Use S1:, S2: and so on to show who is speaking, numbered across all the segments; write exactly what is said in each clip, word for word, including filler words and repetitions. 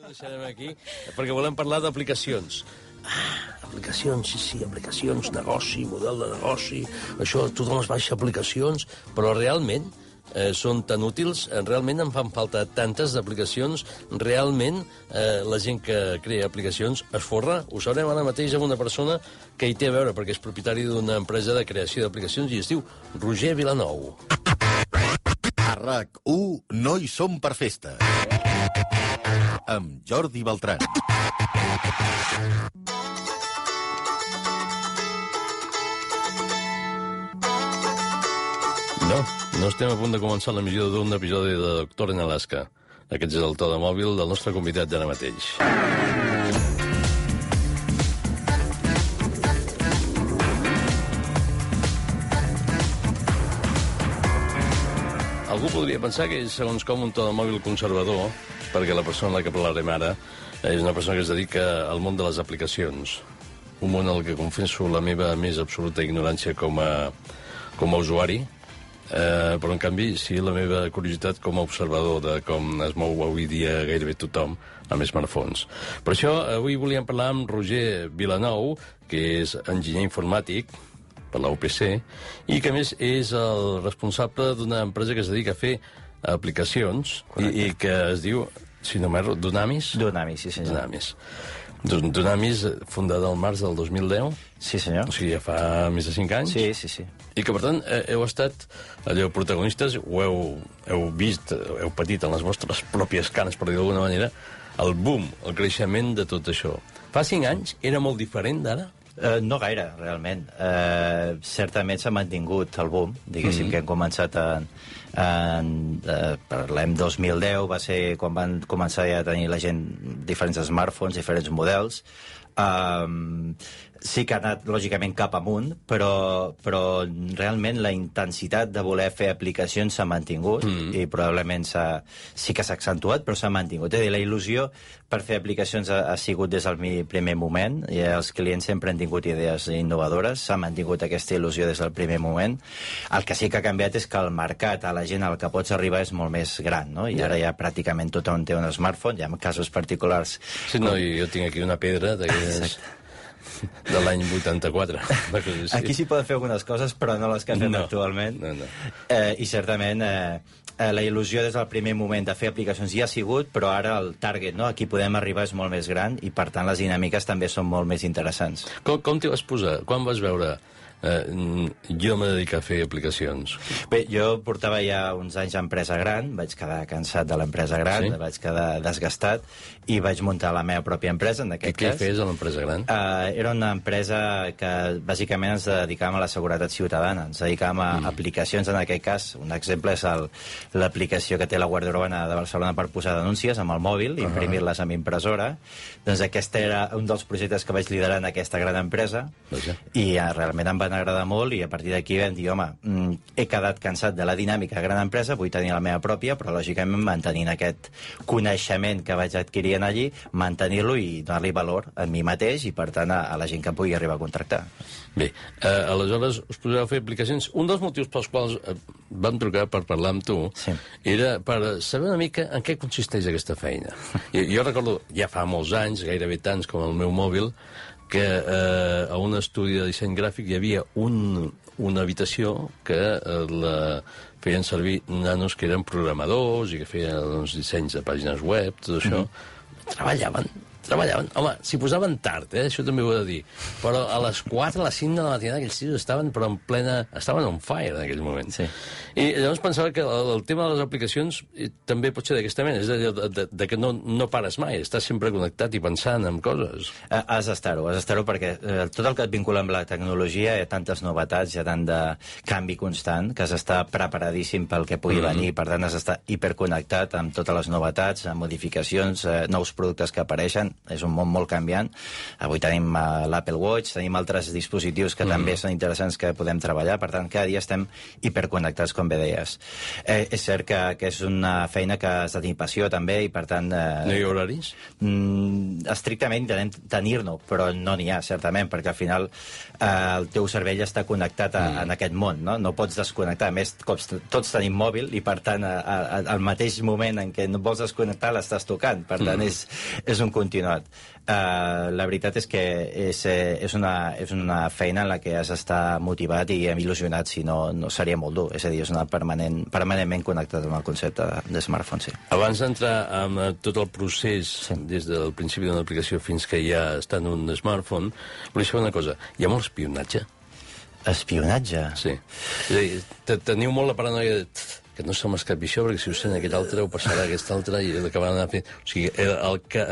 S1: Deixarem aquí, perquè volem parlar d'aplicacions. Ah, aplicacions, sí, sí, aplicacions, negoci, model de negoci, això, tothom es baixa aplicacions, però realment eh, són tan útils, eh, realment en fan falta tantes d'aplicacions, realment eh, la gent que crea aplicacions es forra. Ho sabrem ara mateix amb una persona que hi té a veure, perquè és propietari d'una empresa de creació d'aplicacions i es diu Roger Vilanou.
S2: A RAC u no hi som per festa. Amb Jordi Beltran.
S1: No, no estem a punt de començar l'emissió d'un episodi de Doctor en Alaska. Aquest és el to de mòbil del nostre convidat d'ara mateix. Algú podria pensar que és segons com un to de mòbil conservador, perquè la persona en la que parlarem ara és una persona que es dedica al món de les aplicacions. Un món al que confesso la meva més absoluta ignorància com a, com a usuari, eh, però en canvi sí la meva curiositat com a observador de com es mou avui dia gairebé tothom amb smartphones. Per això avui volíem parlar amb Roger Vilanou, que és enginyer informàtic per la U P C, i que a més és el responsable d'una empresa que es dedica a fer aplicacions i, i que es diu, si no m'erro, Dunamis?
S3: Dunamis, sí senyor.
S1: Dunamis. Dunamis, fundada al març del dos mil deu.
S3: Sí senyor.
S1: O sigui, ja fa més de cinc anys.
S3: Sí, sí, sí.
S1: I que, per tant, heu estat allò protagonistes, ho heu, heu vist, heu patit en les vostres pròpies canes, per dir d'alguna manera, el boom, el creixement de tot això. Fa cinc anys era molt diferent d'ara?
S3: Uh, no gaire, realment. Uh, certament s'ha mantingut el boom, diguéssim, mm-hmm. que hem començat en, en uh, parlem dos mil deu, va ser quan van començar ja a tenir la gent diferents smartphones, diferents models. Um, sí que ha anat, lògicament, cap amunt, però, però realment la intensitat de voler fer aplicacions s'ha mantingut mm. i probablement s'ha, sí que s'ha accentuat, però s'ha mantingut. És a dir, la il·lusió per fer aplicacions ha, ha sigut des del primer moment, i els clients sempre han tingut idees innovadores, s'ha mantingut aquesta il·lusió des del primer moment. El que sí que ha canviat és que el mercat, a la gent al que pots arribar és molt més gran, no? I ara ja pràcticament tothom té un smartphone, hi ha casos particulars...
S1: Sí, no, jo tinc aquí una pedra d'aquelles... de l'any vuitanta-quatre.
S3: Aquí s'hi poden fer algunes coses, però no les que fem no, actualment. No, no. Eh, I certament eh, la il·lusió des del primer moment de fer aplicacions ja ha sigut, però ara el target, no? Aquí podem arribar és molt més gran i, per tant, les dinàmiques també són molt més interessants.
S1: Com, com t'hi vas posar? Quan vas veure... Uh, jo m'he dedicat a fer aplicacions?
S3: Bé, jo portava ja uns anys a empresa gran, vaig quedar cansat de l'empresa gran, sí? Vaig quedar desgastat i vaig muntar la meva pròpia empresa, en aquest
S1: I
S3: cas.
S1: Què fes a l'empresa gran?
S3: Uh, era una empresa que bàsicament ens dedicàvem a la seguretat ciutadana, ens dedicàvem a mm. aplicacions, en aquest cas. Un exemple és l'aplicació que té la Guàrdia Urbana de Barcelona per posar denúncies amb el mòbil, uh -huh. imprimir-les amb impressora. Doncs aquest era un dels projectes que vaig liderar en aquesta gran empresa. Vaja. I uh, realment em va van agradar molt i a partir d'aquí vam dir, home, mm, he quedat cansat de la dinàmica de gran empresa, vull tenir la meva pròpia, però lògicament mantenint aquest coneixement que vaig adquirir allí, mantenir-lo i donar-li valor a mi mateix i, per tant, a, a la gent que pugui arribar a contractar.
S1: Bé, eh, aleshores us poseu a fer aplicacions. Un dels motius pels quals eh, vam trucar per parlar amb tu sí. era per saber una mica en què consisteix aquesta feina. Jo, jo recordo, ja fa molts anys, gairebé tants com el meu mòbil, que eh, a un estudi de disseny gràfic hi havia un, una habitació que eh, la feien servir nanos que eren programadors i que feien doncs, dissenys de pàgines web, tot això. Mm-hmm. Treballaven, treballaven. Home, s'hi posaven tard, eh? Això també ho he de dir. Però a les quatre, a les cinc de la matinada, aquells tios estaven però en plena... estaven on fire en aquell moment. Sí. I llavors pensava que el, el tema de les aplicacions eh, també pot ser d'aquesta mena, és de, de, de, de que no, no pares mai, estàs sempre connectat i pensant en coses.
S3: Has d'estar-ho, has d'estar-ho perquè eh, tot el que et vincula amb la tecnologia hi ha tantes novetats, hi ha tant de canvi constant que has d'estar preparadíssim pel que pugui mm-hmm. venir, per tant has d'estar hiperconnectat amb totes les novetats, amb modificacions, eh, nous productes que apareixen. és un món molt canviant. Avui tenim uh, l'Apple Watch, tenim altres dispositius que mm. també són interessants que podem treballar, per tant, cada dia estem hiperconnectats, com bé deies. Eh, és cert que, que és una feina que has de tenir passió, també, i per tant... Eh,
S1: no hi ha horaris?
S3: Mm, estrictament intentem tenir-no, però no n'hi ha, certament, perquè al final eh, el teu cervell està connectat a, mm. en aquest món, no? No pots desconnectar. A més, tots tenim mòbil i, per tant, a, a, al mateix moment en què no vols desconnectar l'estàs tocant. Per tant, mm. és, és un continuat. Uh, la veritat és que és, és, una, és una feina en la que has d'estar motivat i il·lusionat, si no, no seria molt dur. És a dir, és una permanent, permanentment connectat amb el concepte de smartphone, sí.
S1: Abans d'entrar en tot el procés, sí. des del principi d'una aplicació fins que ja està en un smartphone, volia saber una cosa. Hi ha molt espionatge?
S3: Espionatge?
S1: Sí. És a dir, teniu molt la paranoia de... que no se m'escapi això, perquè si ho sent aquest altre ho passarà aquest altre i l'acabaran anar fent... O sigui, el, el, que,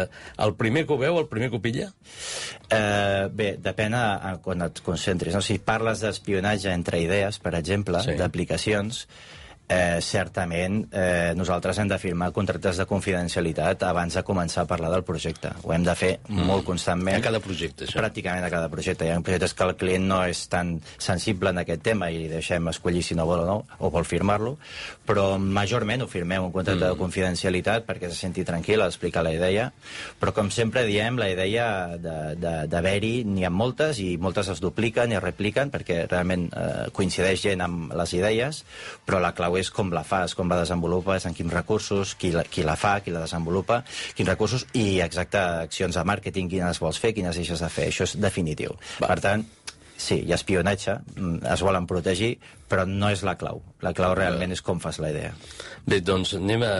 S1: el primer que ho veu, el primer que ho pilla?
S3: Eh, bé, depèn a, a quan et concentris. No? Si parles d'espionatge entre idees, per exemple, sí. d'aplicacions, eh, certament eh, nosaltres hem de firmar contractes de confidencialitat abans de començar a parlar del projecte. Ho hem de fer mm. molt constantment.
S1: A cada projecte, això?
S3: Pràcticament a cada projecte. Hi ha projectes que el client no és tan sensible en aquest tema i deixem escollir si no vol o no, o vol firmar-lo, però majorment ho firmem un contracte mm. de confidencialitat perquè se senti tranquil a explicar la idea, però com sempre diem, la idea d'haver-hi n'hi ha moltes i moltes es dupliquen i es repliquen perquè realment eh, coincideix gent amb les idees, però la clau és com la fas, com la desenvolupes, en quins recursos, qui la, qui la fa, qui la desenvolupa, quins recursos i exacte accions de màrqueting, quines vols fer, quines deixes de fer. Això és definitiu. Va. Per tant, sí, hi ha espionatge, es volen protegir, però no és la clau. La clau realment és com fas la idea.
S1: Bé, doncs anem a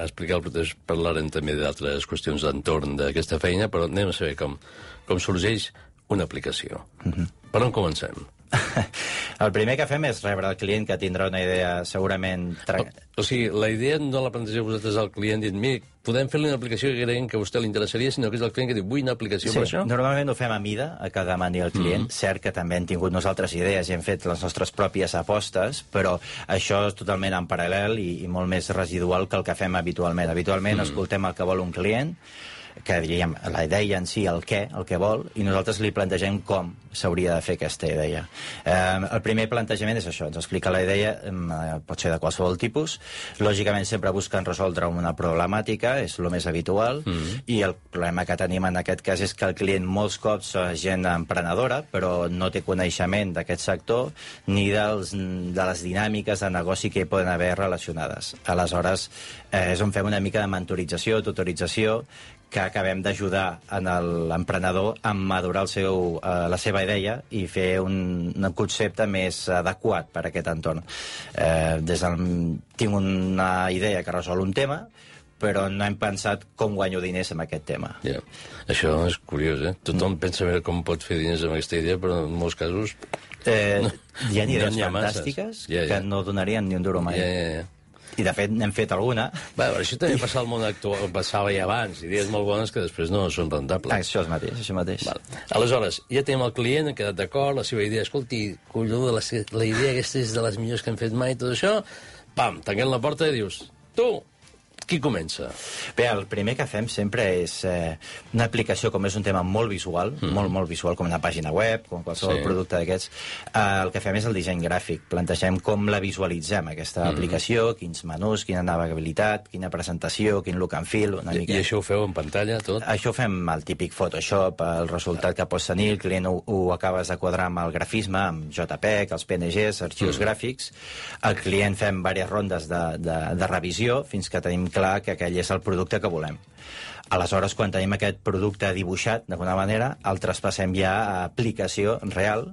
S1: explicar, després parlarem també d'altres qüestions d'entorn d'aquesta feina, però anem a saber com, com sorgeix una aplicació. Mm-hmm. Per on comencem?
S3: El primer que fem és rebre el client, que tindrà una idea segurament...
S1: O, o sigui, la idea no la plantegeu vosaltres al client dient, mira, podem fer-li una aplicació que creiem que a vostè li interessaria, sinó que és el client que diu, vull una aplicació
S3: sí,
S1: per això?
S3: Normalment ho fem a mida, a que demani el client. Mm-hmm. Cert que també hem tingut nosaltres idees i hem fet les nostres pròpies apostes, però això és totalment en paral·lel i, i molt més residual que el que fem habitualment. Habitualment mm-hmm. escoltem el que vol un client, que diríem la idea en si, el què, el que vol, i nosaltres li plantegem com s'hauria de fer aquesta idea. Eh, el primer plantejament és això, ens explica la idea, eh, pot ser de qualsevol tipus, lògicament sempre busquen resoldre una problemàtica, és el més habitual, mm-hmm. i el problema que tenim en aquest cas és que el client molts cops és gent emprenedora, però no té coneixement d'aquest sector ni dels, de les dinàmiques de negoci que hi poden haver relacionades. Aleshores, eh, és on fem una mica de mentorització, tutorització, que acabem d'ajudar en l'emprenedor a madurar el seu, eh, la seva idea i fer un, un concepte més adequat per a aquest entorn. Eh, des del, tinc una idea que resol un tema, però no hem pensat com guanyo diners amb aquest tema.
S1: Yeah. Això és curiós, eh? Tothom mm. pensa veure com pot fer diners amb aquesta idea, però en molts casos...
S3: Eh, no, hi ha idees
S1: no ha
S3: fantàstiques
S1: yeah, yeah.
S3: que no donarien ni un duro mai.
S1: Yeah, yeah, yeah.
S3: I, de fet, n'hem fet alguna.
S1: Bé, això també passa al món actual, passava ja abans, idees molt bones que després no són rentables.
S3: Això és mateix, això mateix.
S1: Val. Aleshores, ja tenim el client, ha quedat d'acord, la seva idea, escolti, colló, la, la idea aquesta és de les millors que hem fet mai, tot això, pam, tanquem la porta i dius, tu, qui comença?
S3: Bé, el primer que fem sempre és eh, una aplicació, com és un tema molt visual, mm. molt, molt visual, com una pàgina web, com qualsevol sí. producte d'aquests, eh, el que fem és el disseny gràfic. Plantegem com la visualitzem, aquesta mm. aplicació, quins menús, quina navegabilitat, quina presentació, quin look and feel, una
S1: I,
S3: mica...
S1: I això ho feu en pantalla, tot?
S3: Això ho fem el típic Photoshop, el resultat que pots tenir, el client ho, ho acabes de quadrar amb el grafisme, amb JPEG, els P N Gs, arxius mm. gràfics. El client fem diverses rondes de, de, de revisió fins que tenim clar que aquell és el producte que volem. Aleshores, quan tenim aquest producte dibuixat, d'alguna manera, el traspassem ja a aplicació real,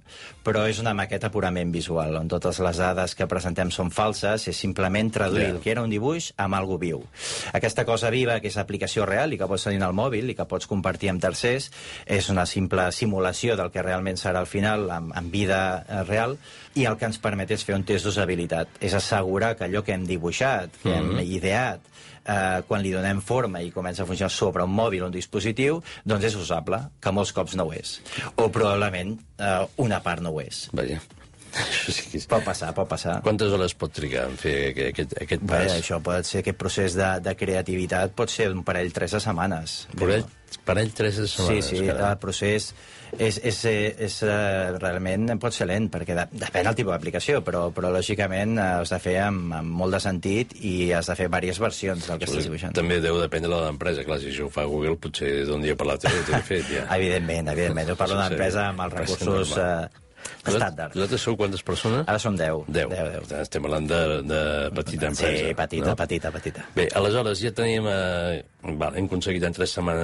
S3: però és una maqueta purament visual, on totes les dades que presentem són falses, és simplement traduir yeah. el que era un dibuix amb algo viu. Aquesta cosa viva, que és aplicació real i que pots tenir al mòbil i que pots compartir amb tercers, és una simple simulació del que realment serà al final, en, en vida real, i el que ens permet és fer un test d'usabilitat. És assegurar que allò que hem dibuixat, que mm-hmm. hem ideat, eh, quan li donem forma i comença a funcionar sobre un mòbil o un dispositiu, doncs és usable, que molts cops no ho és. O probablement eh, una part no ho és.
S1: Vaja. Això sí que...
S3: Pot passar, pot passar.
S1: Quantes hores pot trigar en fer aquest, aquest pas?
S3: Bé, això pot ser, aquest procés de, de creativitat pot ser un parell, tres de setmanes.
S1: Parell, parell tres de setmanes.
S3: Sí, sí, carai. El procés és, és, és, és realment pot ser lent, perquè de, depèn del tipus d'aplicació, però, però lògicament has de fer amb, amb molt de sentit i has de fer diverses versions del que estàs dibuixant.
S1: També deu dependre de l'empresa, clar, si això ho fa Google potser d'un dia per l'altre ho té fet, ja.
S3: Evidentment, evidentment. Jo parlo d'una empresa amb els recursos estàndard.
S1: Vosaltres sou quantes persones?
S3: Ara som deu.
S1: Deu.
S3: deu, deu.
S1: Estem parlant de, de petita empresa.
S3: Sí, petita,
S1: no?
S3: petita, petita.
S1: Bé, aleshores ja tenim... Eh, val, hem aconseguit en tres setmanes